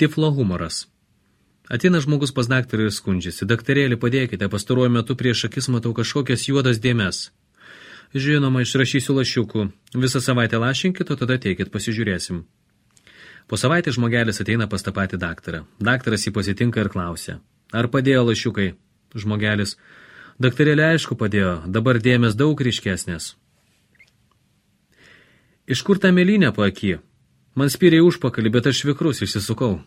Tiflo humoras. Ateina žmogus pas daktarą ir skundžiasi. Daktarėlį, padėkite, pastaruoju metu prieš akis matau kažkokias juodas dėmes. Žinoma, išrašysiu lašiukų. Visą savaitę lašinkit, o tada teikit, pasižiūrėsim. Po savaitę žmogelis ateina pas tą patį daktarą. Daktaras jį pasitinka ir klausia. Ar padėjo lašiukai? Žmogelis. Daktarėlė aišku padėjo, dabar dėmės daug ryškesnės. Iš kur tą mėlynę po akį? Man spyrė užpakalį, bet aš vikrus išsisukau.